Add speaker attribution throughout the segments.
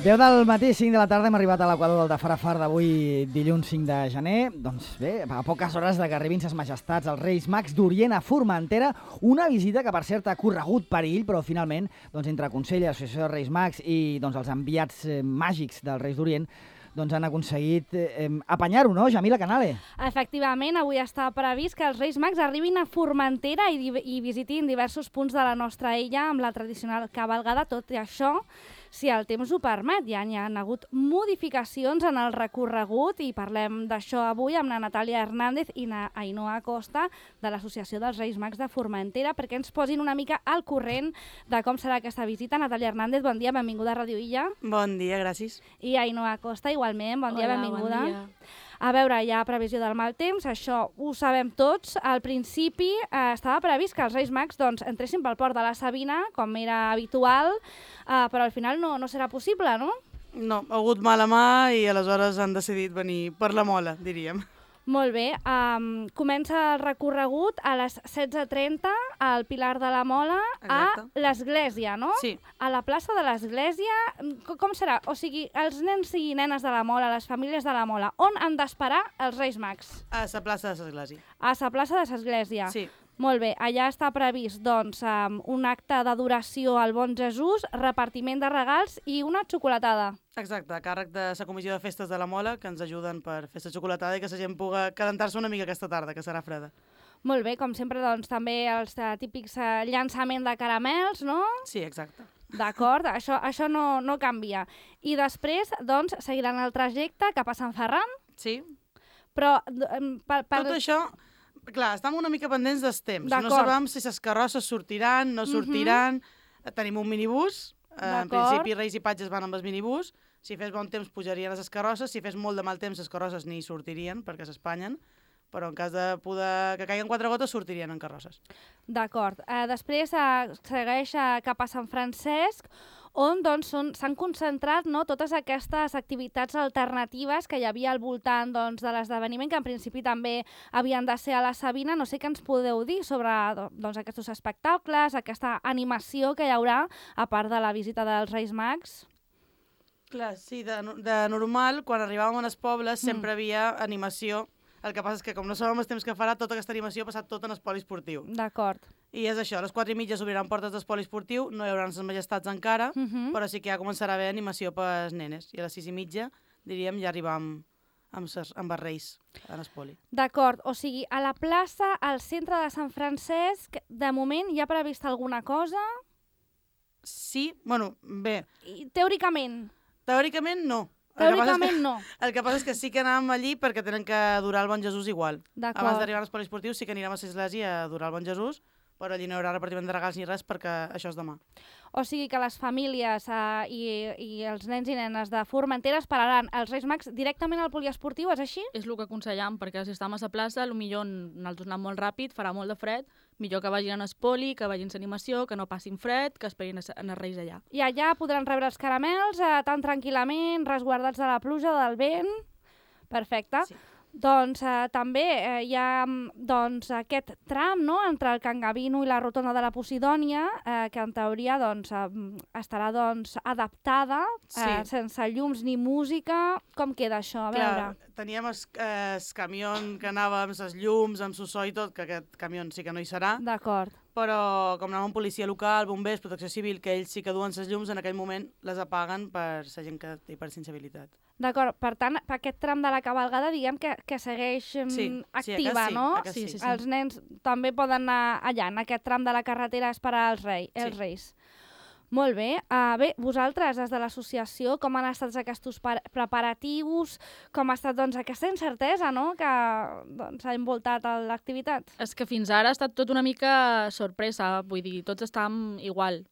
Speaker 1: 10 del matí, 5 de la tarda, hem arribat a l'equador del de Farafar d'avui, dilluns 5 de gener. Doncs bé, a poques hores de que arribin ses majestats els Reis Mags d'Orient a Formentera, una visita que per cert ha corregut perill, però finalment, doncs, entre Consell, Associació de Reis Mags i doncs, els enviats màgics dels Reis d'Orient, doncs han aconseguit apanyar-ho, no, Jamila Canale?
Speaker 2: Efectivament, avui està previst que els Reis Mags arribin a Formentera i visitin diversos punts de la nostra illa amb la tradicional cavalgada. Tot i això, si el temps ho permet, ja hi ha hagut modificacions en el recorregut i parlem d'això avui amb la Natàlia Hernández i la Ainhoa Costa de l'Associació dels Reis Mags de Formentera perquè ens posin una mica al corrent de com serà aquesta visita. Natàlia Hernández, bon dia, benvinguda a Radio Illa.
Speaker 3: Bon dia, gràcies.
Speaker 2: I Ainhoa Costa, igualment, bon dia, benvinguda.
Speaker 3: Bon dia.
Speaker 2: A veure, hi ha previsió del mal temps, això ho sabem tots. Al principi estava previst que els Reis Mags entressin pel port de la Sabina, com era habitual, però al final no serà possible, no?
Speaker 3: No, ha hagut mala mà i aleshores han decidit venir per la Mola, diríem.
Speaker 2: Molt bé, comença el recorregut a les 16:30 al Pilar de la Mola. Exacte. A l'Església, no?
Speaker 3: Sí.
Speaker 2: A la plaça de l'Església, com serà? O sigui, els nens i nenes de la Mola, les famílies de la Mola, on han d'esperar els Reis Mags?
Speaker 3: A la plaça de l'Església.
Speaker 2: A la plaça de l'Església.
Speaker 3: Sí.
Speaker 2: Molt bé, allà està previst un acte d'adoració al Bon Jesús, repartiment de regals i una xocolatada.
Speaker 3: Exacte, a càrrec de la Comissió de Festes de la Mola, que ens ajuden per fer la xocolatada i que la gent pugui calentar-se una mica aquesta tarda, que serà freda.
Speaker 2: Molt bé, com sempre, també els típics llançament de caramels, no?
Speaker 3: Sí, exacte.
Speaker 2: D'acord, això no canvia. I després, seguiran el trajecte cap a Sant Ferran.
Speaker 3: Sí.
Speaker 2: Però...
Speaker 3: Tot això... Clar, estem una mica pendents dels temps. No sabem si les carrosses sortiran, no sortiran. Tenim un minibús. En principi, Reis i Patges van amb el minibús. Si fes bon temps, pujarien les carrosses. Si fes molt de mal temps, les carrosses ni sortirien, perquè s'espanyen. Però en cas de que caiguen 4 gotes, sortirien en carrosses.
Speaker 2: D'acord. Després segueix cap a Sant Francesc, on s'han concentrat totes aquestes activitats alternatives que hi havia al voltant de l'esdeveniment, que en principi també havien de ser a la Sabina. No sé què ens podeu dir sobre aquests espectacles, aquesta animació que hi haurà, a part de la visita dels Reis Mags.
Speaker 3: Clar, sí, de normal, quan arribàvem als pobles sempre havia animació. El que passa és que, com no sabem els temps que farà, tota aquesta animació ha passat tot en el poliesportiu.
Speaker 2: D'acord.
Speaker 3: I és això, a les 4:30 s'obriran portes del poliesportiu, no hi haurà les majestats encara, però sí que ja començarà a haver animació per als nenes. I a les 6:30, diríem, ja arribam amb els Reis en el poli.
Speaker 2: D'acord, o sigui, a la plaça, al centre de Sant Francesc, de moment hi ha previst alguna cosa?
Speaker 3: Sí, bueno, bé.
Speaker 2: Teòricament?
Speaker 3: Teòricament no.
Speaker 2: Teòricament no.
Speaker 3: El que passa és que sí que anàvem allí perquè tenen que adorar el Bon Jesús igual. Abans d'arribar als poliesportius sí que anirem a l'església a adorar el Bon Jesús, però allí no hi haurà repartiment de regals ni res perquè això és demà.
Speaker 2: O sigui que les famílies i els nens i nenes de Formentera esperaran els Reis Mags directament al poliesportiu, és així?
Speaker 4: És el que aconsellem, perquè si estem a la plaça, potser nosaltres anem molt ràpid, farà molt de fred, millor que vagin a l'espoli, que vagin a l'animació, que no passin fred, que esperin els Reis allà.
Speaker 2: I allà podran rebre els caramels tan tranquil·lament, resguardats de la pluja, del vent. Perfecte. Sí. Doncs també hi ha aquest tram entre el Can Gavino i la rotonda de la Posidònia, que en teoria estarà adaptada, sense llums ni música. Com queda això? A veure.
Speaker 3: Clar, teníem el camió que anava amb les llums, amb el so i tot, que aquest camió sí que no hi serà.
Speaker 2: D'acord.
Speaker 3: Però com anava amb policia local, bombers, protecció civil, que ells sí que duen les llums, en aquell moment les apaguen per la gent que té hipersensibilitat.
Speaker 2: D'acord, per tant, aquest tram de la cavalgada diguem que segueix activa, no?
Speaker 3: Sí.
Speaker 2: Els nens també poden anar allà, en aquest tram de la carretera, a esperar els Reis. Molt bé. Bé, vosaltres, des de l'associació, com han estat aquests preparatius, com ha estat aquesta incertesa, no?, que s'ha envoltat l'activitat?
Speaker 4: És que fins ara ha estat tot una mica sorpresa, vull dir, tots estàvem igual.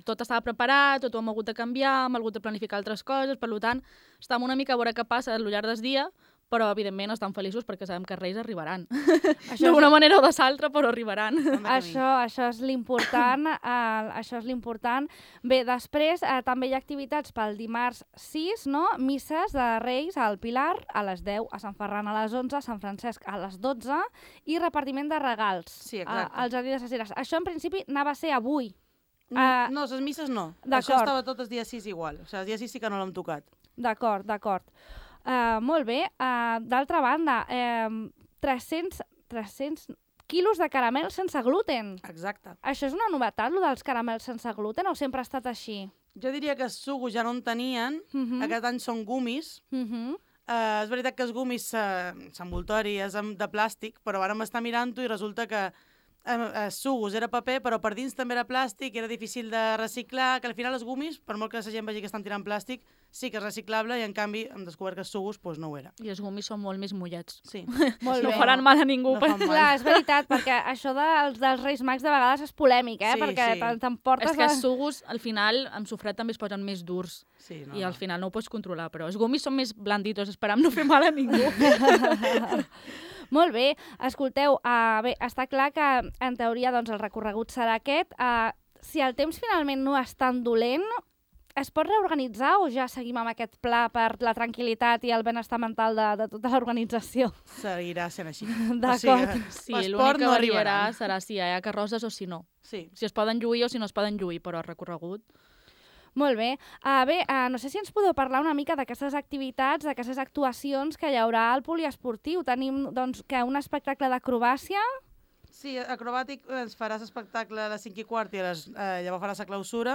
Speaker 4: Tot estava preparat, tot ho hem hagut de canviar, hem hagut de planificar altres coses, per tant, estem una mica a veure què passa al llarg del dia, però evidentment estan feliços perquè sabem que els Reis arribaran. D'una manera o de l'altra, però arribaran.
Speaker 2: Això és l'important. Això és l'important. Bé, després també hi ha activitats pel dimarts 6, no? Misses de Reis al Pilar a les 10, a Sant Ferran a les 11, a Sant Francesc a les 12 i repartiment de regals als jardins de Ses Ires. Això en principi anava a ser avui.
Speaker 3: No, les misses no. Això estava tot el dia 6 igual. O sigui, el dia 6 sí que no l'hem tocat.
Speaker 2: D'acord. Molt bé. D'altra banda, 300 quilos de caramel sense gluten.
Speaker 3: Exacte.
Speaker 2: Això és una novetat, lo dels caramels sense gluten, o sempre ha estat així?
Speaker 3: Jo diria que els sucos ja no en tenien. Aquest any són gumis. És veritat que els gumis s'envoltori, és de plàstic, però ara m'està mirant-ho i resulta que sucos era paper, però per dins també era plàstic, era difícil de reciclar, que al final els gumis, per molt que la gent vegi que estan tirant plàstic, sí que és reciclable i en canvi hem descobert que els sucos doncs no ho era.
Speaker 4: I els gumis són molt més mullats.
Speaker 3: Sí.
Speaker 2: Molt
Speaker 4: no
Speaker 2: bé.
Speaker 4: faran mal a ningú.
Speaker 3: No fan mal.
Speaker 2: Clar, és veritat, perquè això dels Reis Mags de vegades és polèmic,
Speaker 3: Sí,
Speaker 2: perquè
Speaker 3: sí.
Speaker 2: t'emportes...
Speaker 4: És que els sucos, al final, amb sofret també es posen més durs.
Speaker 3: Sí,
Speaker 4: I al final no ho pots controlar, però els gumis són més blanditos, esperam no fer mal a ningú.
Speaker 2: Molt bé, escolteu, bé, està clar que en teoria doncs, el recorregut serà aquest. Si el temps finalment no és tan dolent, es pot reorganitzar o ja seguim amb aquest pla per la tranquil·litat i el benestar mental de tota l'organització?
Speaker 3: Seguirà sent així.
Speaker 2: D'acord.
Speaker 4: Sí,
Speaker 3: l'esport
Speaker 4: l'únic que
Speaker 3: no
Speaker 4: variarà
Speaker 3: arribarà.
Speaker 4: serà si hi ha carrosses o si no.
Speaker 3: Sí.
Speaker 4: Si es poden lluir o si no es poden lluir, però el recorregut...
Speaker 2: Molt bé. No sé si ens podeu parlar una mica d'aquestes activitats, d'aquestes actuacions que hi haurà al poliesportiu. Tenim doncs, que un espectacle d'acrobàcia.
Speaker 3: Sí, acrobàtic ens faràs espectacle a les 5:15 i llavors faràs la clausura.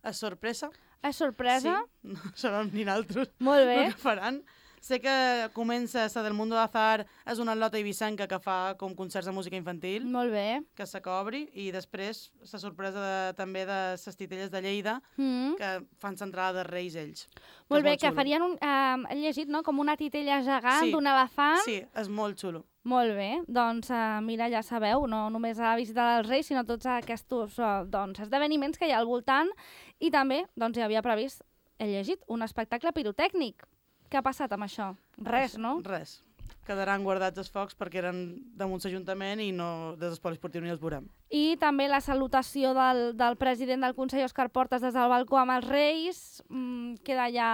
Speaker 3: És sorpresa.
Speaker 2: És sorpresa?
Speaker 3: Sí, no sabem ni naltros
Speaker 2: Molt bé.
Speaker 3: el que faran. Sé que comença la del Mundo d'Azar, és una atleta ibicenca que fa com concerts de música infantil,
Speaker 2: Molt bé.
Speaker 3: que se cobri, i després la sorpresa també de les titelles de Lleida, que fan l'entrada de Reis ells.
Speaker 2: Molt bé,
Speaker 3: és
Speaker 2: que
Speaker 3: xulo.
Speaker 2: farien, he llegit, no?, com una titella gegant
Speaker 3: Sí.
Speaker 2: d'un elefant.
Speaker 3: Sí, és molt xulo.
Speaker 2: Molt bé, doncs mira, ja sabeu, no només a la visita dels Reis, sinó tots aquests esdeveniments que hi ha al voltant, i també doncs, hi havia previst, he llegit, un espectacle pirotècnic. Què ha passat amb això? Res, no?
Speaker 3: Res. Quedaran guardats els focs perquè eren damunt l'Ajuntament i no des del poliesportiu ni els veurem.
Speaker 2: I també la salutació del president del Consell, Òscar Portes, des del balcó amb els Reis, queda ja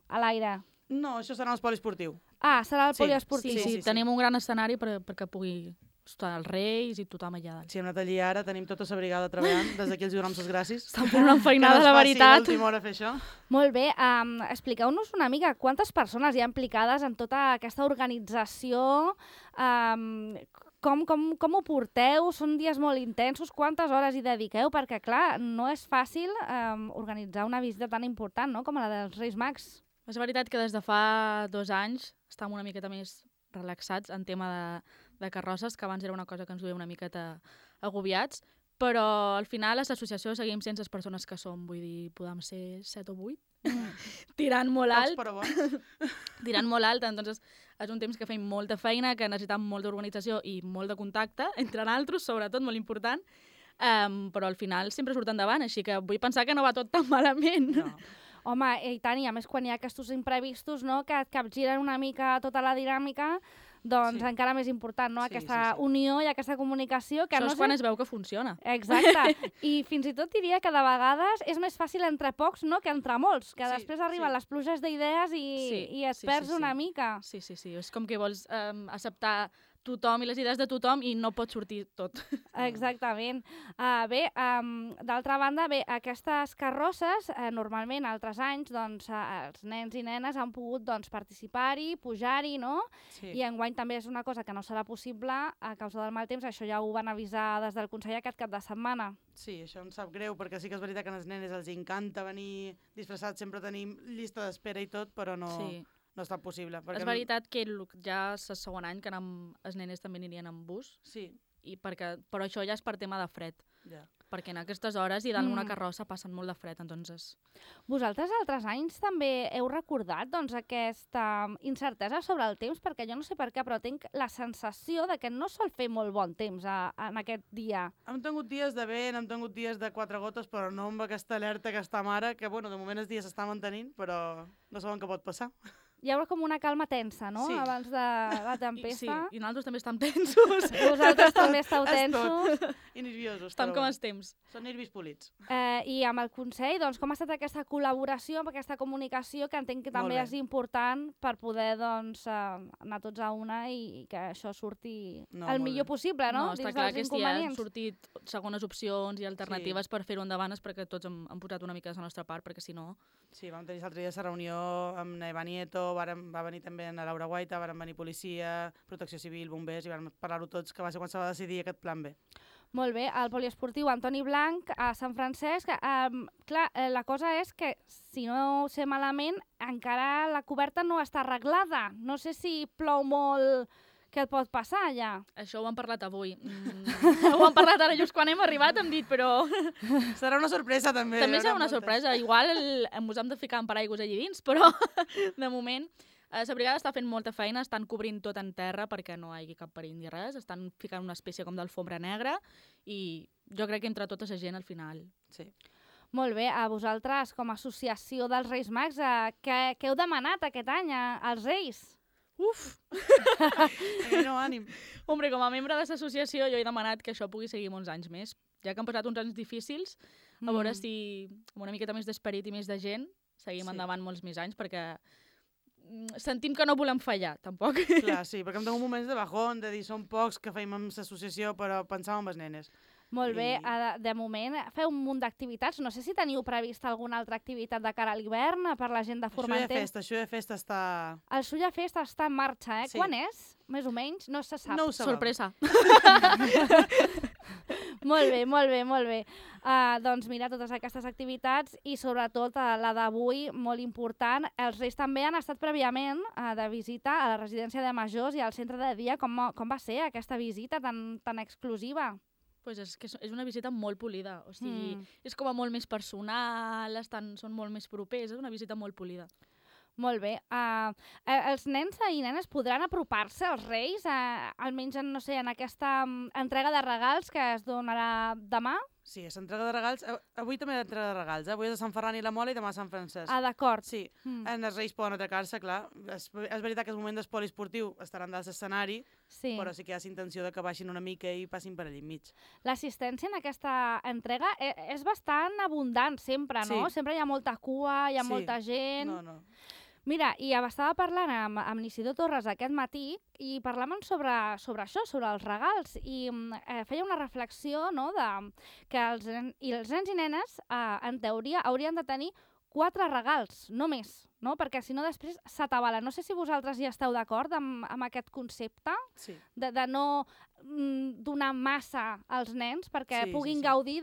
Speaker 2: a l'aire.
Speaker 3: No, això serà el poliesportiu.
Speaker 2: Serà el
Speaker 3: Sí,
Speaker 2: poliesportiu.
Speaker 3: sí.
Speaker 4: Tenim un gran escenari perquè pugui estar els Reis i tothom allà dalt.
Speaker 3: Si hem anat allí ara, tenim tota la brigada treballant. Des d'aquí els donem les gràcies.
Speaker 4: Estan fent una feinada,
Speaker 3: Que no
Speaker 4: la
Speaker 3: es faci
Speaker 4: veritat.
Speaker 3: a l'última hora fer això.
Speaker 2: Molt bé, expliqueu-nos una mica quantes persones hi ha implicades en tota aquesta organització, com ho porteu, són dies molt intensos, quantes hores hi dediqueu, perquè clar, no és fàcil organitzar una visita tan important, no?, com la dels Reis Mags.
Speaker 4: És veritat que des de fa 2 anys estàvem una miqueta més relaxats en tema de carrosses, que abans era una cosa que ens duia una miqueta agobiats, però al final a l'associació seguim sense les persones que som, vull dir, podem ser 7 o 8, tirant molt alt.
Speaker 3: Pocs però bons.
Speaker 4: Tirant molt alt, entonces és un temps que fem molta feina, que necessitem molta organització i molt de contacte, entre altres, sobretot, molt important, però al final sempre surt endavant, així que vull pensar que no va tot tan malament.
Speaker 3: No.
Speaker 2: Home, i tant, i a més quan hi ha aquests imprevistos, no?, que et capgiren una mica tota la dinàmica, doncs
Speaker 3: Sí.
Speaker 2: encara més important, no?,
Speaker 3: Sí,
Speaker 2: aquesta
Speaker 3: sí.
Speaker 2: unió i aquesta comunicació. Que
Speaker 4: Això
Speaker 2: no
Speaker 4: és quan es veu que funciona.
Speaker 2: Exacte. I fins i tot diria que de vegades és més fàcil entre pocs, no?, que entre molts, que
Speaker 3: Sí,
Speaker 2: després arriben
Speaker 3: sí.
Speaker 2: les pluges d'idees i et perds una mica.
Speaker 4: Sí. És com que vols acceptar tothom i les idees de tothom i no pot sortir tot.
Speaker 2: Exactament. D'altra banda, aquestes carrosses, normalment, altres anys, doncs, els nens i nenes han pogut doncs, participar-hi, pujar-hi, no?
Speaker 3: Sí.
Speaker 2: I enguany també és una cosa que no serà possible a causa del mal temps. Això ja ho van avisar des del Consell aquest cap de setmana.
Speaker 3: Sí, això em sap greu, perquè sí que és veritat que a les nenes els encanta venir disfressats, sempre tenim llista d'espera i tot, però no...
Speaker 4: Sí.
Speaker 3: No està possible.
Speaker 4: És veritat que ja és el segon any que els nenes també anirien amb bus,
Speaker 3: Sí,
Speaker 4: però això ja és per tema de fred,
Speaker 3: ja.
Speaker 4: perquè en aquestes hores i dalt una carrossa passen molt de fred, entonces...
Speaker 2: Vosaltres altres anys també heu recordat doncs, aquesta incertesa sobre el temps, perquè jo no sé per què, però tinc la sensació de que no sol fer molt bon temps en aquest dia.
Speaker 3: Hem tingut dies de vent, hem tingut dies de 4 gotes, però no amb aquesta alerta que està ara, que bueno, de moment els dies s'està mantenint, però no sabem què pot passar.
Speaker 2: hi ha com una calma tensa, no?
Speaker 3: Sí.
Speaker 2: Abans de la tempesta.
Speaker 4: Sí, i nosaltres també estem tensos.
Speaker 2: Vosaltres també esteu tensos.
Speaker 3: I nerviosos.
Speaker 4: Estem
Speaker 3: però
Speaker 4: com
Speaker 3: bueno,
Speaker 4: estem.
Speaker 3: Són nervis polits.
Speaker 2: I amb el Consell, doncs, com ha estat aquesta col·laboració, amb aquesta comunicació, que entenc que també
Speaker 3: bé.
Speaker 2: és important per poder doncs, anar tots a una i que això surti
Speaker 3: No,
Speaker 2: el
Speaker 3: molt
Speaker 2: millor
Speaker 3: bé.
Speaker 2: possible, no?
Speaker 4: No, està
Speaker 2: Dins
Speaker 4: clar
Speaker 2: dels
Speaker 4: que si han
Speaker 2: inconvenients.
Speaker 4: sortit segones opcions i alternatives per fer-ho endavant és perquè tots hem posat una mica de la nostra part, perquè si no...
Speaker 3: Sí, vam tenir l'altre dia la reunió amb Eva Nieto, va venir també la Laura Guaita, van venir policia, protecció civil, bombers, i vam parlar-ho tots, que va ser quan se va decidir aquest plan B.
Speaker 2: Molt bé, el poliesportiu Antoni Blanc a Sant Francesc. Clar, la cosa és que, si no ho sé malament, encara la coberta no està arreglada. No sé si plou molt... Què et pot passar, allà?
Speaker 4: Això ho hem parlat avui. Ho hem parlat ara just quan hem arribat, hem dit, però...
Speaker 3: Serà una sorpresa, també.
Speaker 4: També serà una sorpresa. Igual ens hem de ficar en paraigües allí dins, però de moment la brigada està fent molta feina, estan cobrint tot en terra perquè no hi hagi cap perill ni res, estan ficant una espècie com d'alfombra negra i jo crec que entre tota la gent al final...
Speaker 3: Sí.
Speaker 2: Molt bé, a vosaltres, com a associació dels Reis Mags, què heu demanat aquest any als Reis?
Speaker 4: Uf!
Speaker 3: No, ànim.
Speaker 4: Hombre, com a membre de l'associació jo he demanat que això pugui seguir molts anys més. Ja que han passat uns anys difícils, a veure si amb una miqueta més d'esperit i més de gent seguim endavant molts més anys, perquè sentim que no volem fallar, tampoc.
Speaker 3: Clar, sí, perquè hem tingut moments de bajón, de dir som pocs que feim amb l'associació, però pensàvem en les nenes.
Speaker 2: Molt bé, de moment feu un munt d'activitats. No sé si teniu prevista alguna altra activitat de cara a l'hivern per la gent de Formentera.
Speaker 3: Això de festa està...
Speaker 2: El Sulla Festa està en marxa, eh?
Speaker 3: Sí.
Speaker 2: Quan és? Més o menys? No se sap.
Speaker 3: No ho sabem.
Speaker 4: Sorpresa.
Speaker 2: Molt bé, molt bé, molt bé. Doncs mira, totes aquestes activitats i sobretot la d'avui, molt important. Els Reis també han estat prèviament de visita a la residència de majors i al centre de dia. Com va ser aquesta visita tan exclusiva?
Speaker 4: Pues és que és una visita molt polida, o sigui, és com a molt més personal, són molt més propers, és una visita molt polida.
Speaker 2: Molt bé. Els nens i nenes podran apropar-se als Reis, almenys no sé, en aquesta entrega de regals que es donarà demà?
Speaker 3: Sí, és entrega de regals. Avui també hi ha entrega de regals. Avui és a Sant Ferran i la Mola i demà a Sant Francesc.
Speaker 2: D'acord.
Speaker 3: Sí, en els Reis poden atracar-se, clar. És veritat que és moment d'espoli esportiu, estaran dalt l'escenari, però sí que hi ha intenció de que baixin una mica i passin per allà enmig.
Speaker 2: L'assistència en aquesta entrega és bastant abundant sempre, no?
Speaker 3: Sí.
Speaker 2: Sempre hi ha molta cua, hi ha molta gent...
Speaker 3: No.
Speaker 2: Mira, i estava parlant amb l'Isidor Torres aquest matí i parlàvem sobre això, sobre els regals, i feia una reflexió, no, que els nens i nenes, en teoria, haurien de tenir 4 regals, no més, no? Perquè si no després s'atabala. No sé si vosaltres hi esteu d'acord amb aquest concepte,
Speaker 3: sí.
Speaker 2: de no donar massa als nens perquè puguin gaudir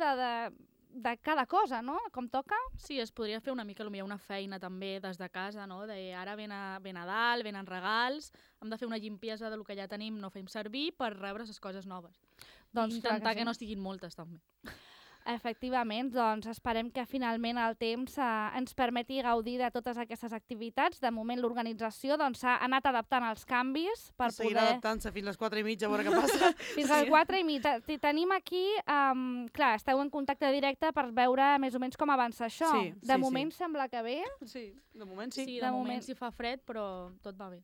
Speaker 2: de cada cosa, no? Com toca.
Speaker 4: Sí, es podria fer una mica una feina també des de casa, no? De ara ve Nadal, venen regals, hem de fer una limpiesa del que ja tenim, no fem servir per rebre les coses noves.
Speaker 2: Doncs
Speaker 4: intentar que no estiguin moltes, també.
Speaker 2: Efectivament, doncs esperem que finalment el temps ens permeti gaudir de totes aquestes activitats. De moment l'organització s'ha anat adaptant als canvis per poder...
Speaker 3: Seguirà adaptant-se fins a les 4:30 a veure què passa.
Speaker 2: Fins a les 4:30. Tenim aquí, clar, esteu en contacte directe per veure més o menys com avança això.
Speaker 3: Sí,
Speaker 2: de moment sembla que bé.
Speaker 3: Sí, de moment sí.
Speaker 4: Sí, de moment sí fa fred, però tot va bé.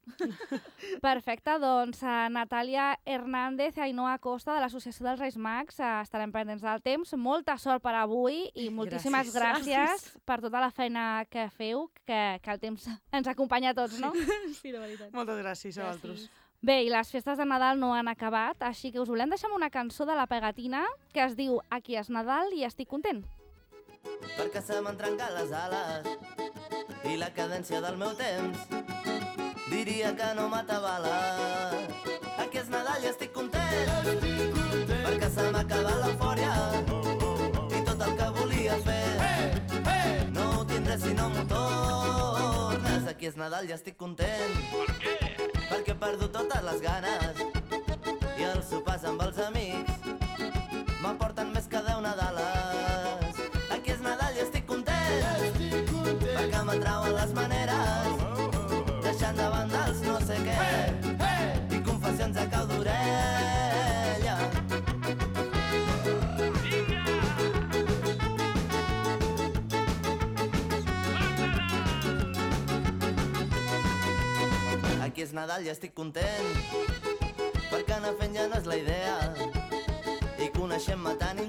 Speaker 2: Perfecte, doncs Natàlia Hernández i Ainhoa Costa de l'Associació dels Reis Mags estarem pendents del temps. Molta sort per avui i moltíssimes gràcies per tota la feina que feu, que el temps ens acompanya a tots, no?
Speaker 4: Sí, de veritat.
Speaker 3: Moltes gràcies a vosaltres.
Speaker 2: Bé, i les festes de Nadal no han acabat, així que us volem deixar amb una cançó de la Pegatina que es diu Aquí és Nadal i estic content.
Speaker 5: Perquè se m'han trencat les ales i la cadència del meu temps diria que no m'atabala. Aquí és Nadal i estic content, perquè se m'ha acabat l'eufòria i tot el que volia fer no ho tindré si no m'ho tornes. Aquí és Nadal i estic content. Per què? Perquè he perdut totes les ganes i els sopars amb els amics m'aporten més que 10 Nadales. Aquí és Nadal i estic content, perquè m'atrauen les maneres, deixant de banda els no sé què i confessions a cau d'orella. és Nadal i estic content, perquè anar fent ja no és la idea, i coneixem-me tant